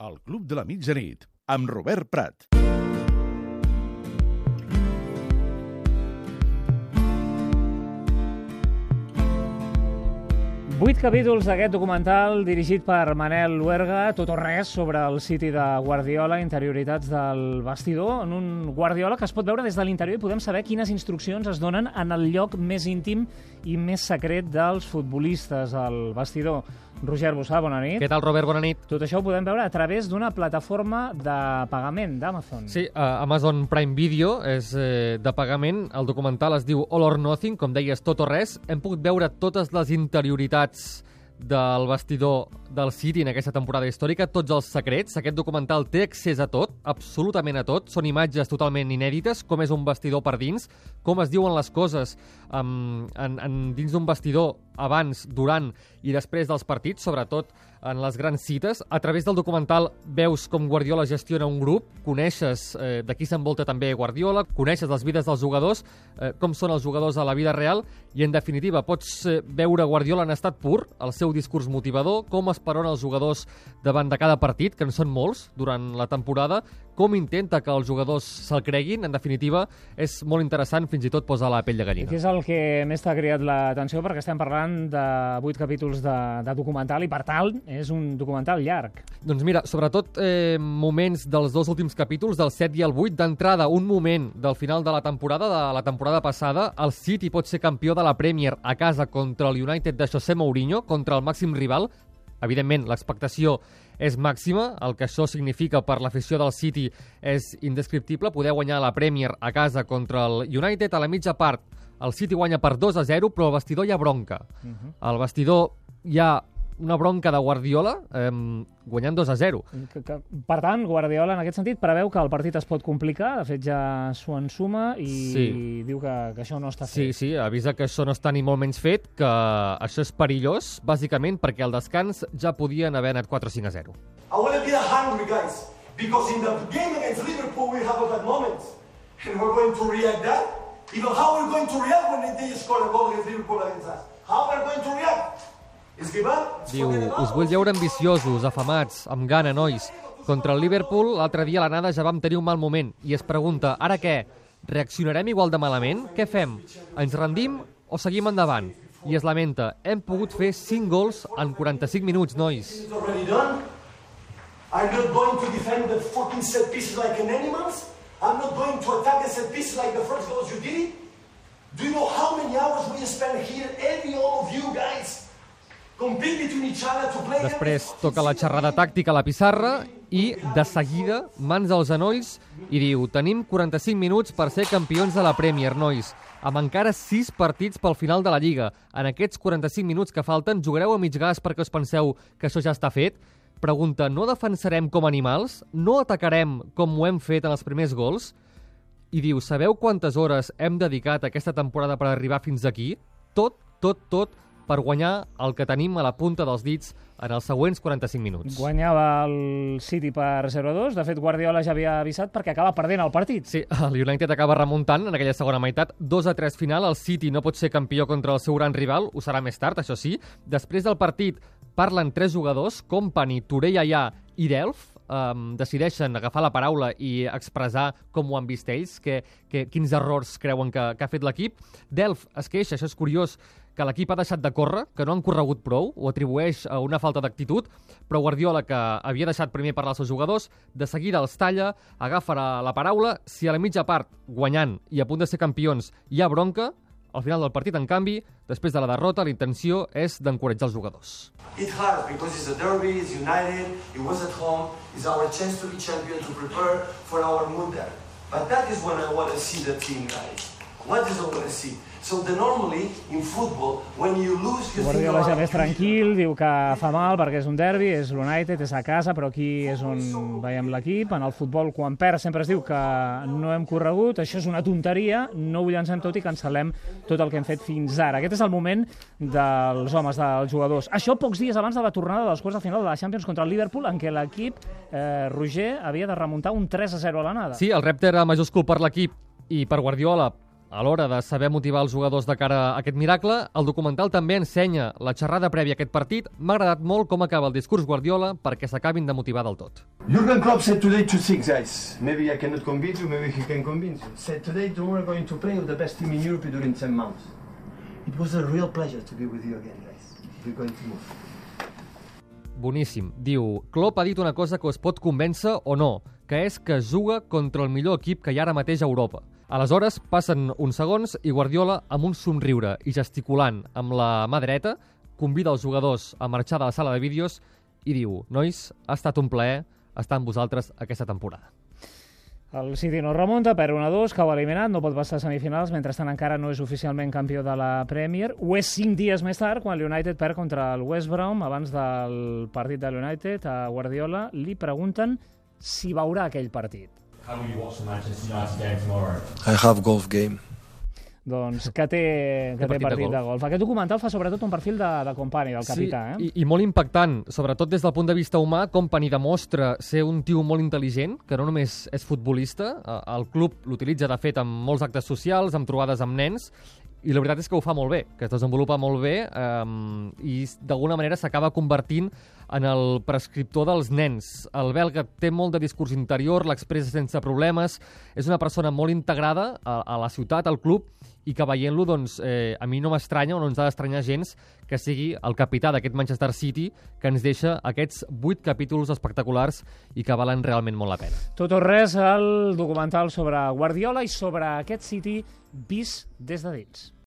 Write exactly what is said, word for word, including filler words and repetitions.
El Club de la Mitjanit, amb Robert Prat. Vuit capítols d'aquest documental dirigit per Manel Luerga, tot o res sobre el City de Guardiola, interioritats del vestidor, en un Guardiola que es pot veure des de l'interior i podem saber quines instruccions es donen en el lloc més íntim i més secret dels futbolistes, el vestidor. Roger Bossà, bona nit. Què tal, Robert? Bona nit. Tot això ho podem veure a través d'una plataforma de pagament d'Amazon. Sí, uh, Amazon Prime Video és eh, de pagament. El documental es diu All or Nothing, com deies, tot o res. Hem pogut veure totes les interioritats del vestidor del City en aquesta temporada històrica, tots els secrets. Aquest documental té accés a tot, absolutament a tot. Són imatges totalment inèdites, com és un vestidor per dins, com es diuen les coses um, en, en, dins d'un vestidor abans, durant i després dels partits, sobretot en les grans cites. A través del documental veus com Guardiola gestiona un grup, coneixes eh, de qui s'envolta també Guardiola, coneixes les vides dels jugadors, eh, com són els jugadors a la vida real, i en definitiva pots eh, veure Guardiola en estat pur, el seu discurs motivador, com esperona els jugadors davant de cada partit, que en són molts durant la temporada, com intenta que els jugadors se'l creguin. En definitiva, és molt interessant, fins i tot posa la pell de gallina. I què és el que més t'ha cridat l'atenció? Perquè estem parlant de vuit capítols de, de documental i, per tant, és un documental llarg. Doncs mira, sobretot eh, moments dels dos últims capítols, del set i el vuit, d'entrada, un moment del final de la temporada, de la temporada passada, el City pot ser campió de la Premier a casa contra el United de José Mourinho, contra el màxim rival. Evidentment, l'expectació és màxima, el que això significa per l'afició del City és indescriptible. Poder guanyar la Premier a casa contra el United. A la mitja part, el City guanya per dos a zero, però al vestidor hi ha bronca. Uh-huh. Al vestidor hi ha una bronca de Guardiola, eh, guanyant dos a zero. Que, que, per tant, Guardiola, en aquest sentit, preveu que el partit es pot complicar. De fet, ja s'ho ensuma i sí. diu que, que això no està fet. Sí, sí, avisa que això no està ni molt menys fet, que això és perillós, bàsicament perquè al descans ja podien haver anat quatre a cinc a zero. I want to be hungry, guys, because in the game against Liverpool we have a bad moment. And we're going to react that. Even how we're going to react when they score a goal against Liverpool against us. How we're going to react? Diu, us vull veure ambiciosos, afamats, amb gana, nois. Contra el Liverpool, l'altre dia a l'anada ja vam tenir un mal moment. I es pregunta, ara què? Reaccionarem igual de malament? Què fem? Ens rendim o seguim endavant? I es lamenta, hem pogut fer cinc gols en quaranta-cinc minuts, nois. I'm not going to defend the fucking set pieces like an animals. I'm not going to attack the set pieces like the first goals you did. Do you know how many hours we spend here, every all of you guys? Després toca la xerrada tàctica a la pissarra i, de seguida, mans als genolls i diu, tenim quaranta-cinc minuts per ser campions de la Premier, nois, amb encara sis partits pel final de la Lliga. En aquests quaranta-cinc minuts que falten, jugareu a mig gas perquè us penseu que això ja està fet? Pregunta, no defensarem com animals? No atacarem com ho hem fet en els primers gols? I diu, sabeu quantes hores hem dedicat aquesta temporada per arribar fins aquí? Tot, tot, tot, per guanyar el que tenim a la punta dels dits en els següents quaranta-cinc minuts. Guanyava el City per zero a dos. De fet, Guardiola ja havia avisat perquè acaba perdent el partit. Sí, el United acaba remuntant en aquella segona meitat. dos a tres final. El City no pot ser campió contra el seu gran rival. Ho serà més tard, això sí. Després del partit parlen tres jugadors, Kompany, Touré Yaya i Delph. Um, decideixen agafar la paraula i expressar com ho han vist ells, que, que, quins errors creuen que, que ha fet l'equip. Delph es queixa, això és curiós, que l'equip ha deixat de córrer, que no han corregut prou, ho atribueix a una falta d'actitud, però Guardiola, que havia deixat primer parlar als seus jugadors, de seguida els talla, agafa la, la paraula. Si a la mitja part, guanyant i a punt de ser campions, hi ha bronca, al final del partit, en canvi, després de la derrota, la intenció és d'encoratjar els jugadors. It hurts because it's a derby, it's United, it was at home, it's our chance to be champion, to prepare for our mood there. But that is when I want to see the team, guys. What is I want to see? So the normally in football when you lose you Guardiola ja més tranquil, diu que fa mal perquè és un derbi, és l'United, és a casa, però aquí és on veiem l'equip. En el futbol, quan perd, sempre es diu que no hem corregut, això és una tonteria, no ho llancem tot i cancel·lem tot el que hem fet fins ara. Aquest és el moment dels homes, dels jugadors. Això pocs dies abans de la tornada dels quarts de final de la Champions contra el Liverpool, en què l'equip, eh, Roger, havia de remuntar un tres a zero a l'anada. Sí, el repte era majúscul per l'equip i per Guardiola a l'hora de saber motivar els jugadors de cara a aquest miracle, el documental també ensenya la xerrada prèvia a aquest partit. M'ha agradat molt com acaba el discurs Guardiola perquè s'acabin de motivar del tot. Jurgen Klopp said today to six guys. Maybe I cannot convince you, maybe he can convince you. Said today we're going to play with the best team in Europe during ten months. It was a real pleasure to be with you again, guys. We're going to move. Boníssim. Diu, Klopp ha dit una cosa que us pot convèncer o no, que és que juga contra el millor equip que hi ha ara mateix a Europa. Aleshores, passen uns segons i Guardiola, amb un somriure i gesticulant amb la mà dreta, convida els jugadors a marxar de la sala de vídeos i diu, nois, ha estat un plaer estar amb vosaltres aquesta temporada. El City no remunta, perd un a dos, cau eliminat, no pot passar a semifinals, mentrestant encara no és oficialment campió de la Premier. Ho és cinc dies més tard, quan l'United perd contra el West Brom. Abans del partit de l'United, a Guardiola li pregunten si veurà aquell partit. How will you watch the Manchester United game tomorrow? I have golf game. Doncs que té, que té partit partit, de de, golf. de golf. Aquest documental fa sobretot un perfil de, de Company, del capità. Sí, Eh? i, i molt impactant, sobretot des del punt de vista humà. Company demostra ser un tio molt intel·ligent, que no només és futbolista, eh, el club l'utilitza de fet en molts actes socials, amb trobades amb nens, i la veritat és que ho fa molt bé, que es desenvolupa molt bé eh, i d'alguna manera s'acaba convertint en el prescriptor dels nens. El belga té molt de discurs interior, l'expressa sense problemes, és una persona molt integrada a, a la ciutat, al club, i que veient-lo, doncs, eh, a mi no m'estranya o no ens ha d'estranyar gens que sigui el capità d'aquest Manchester City que ens deixa aquests vuit capítols espectaculars i que valen realment molt la pena. Tot o res, el documental sobre Guardiola i sobre aquest City vist des de dins.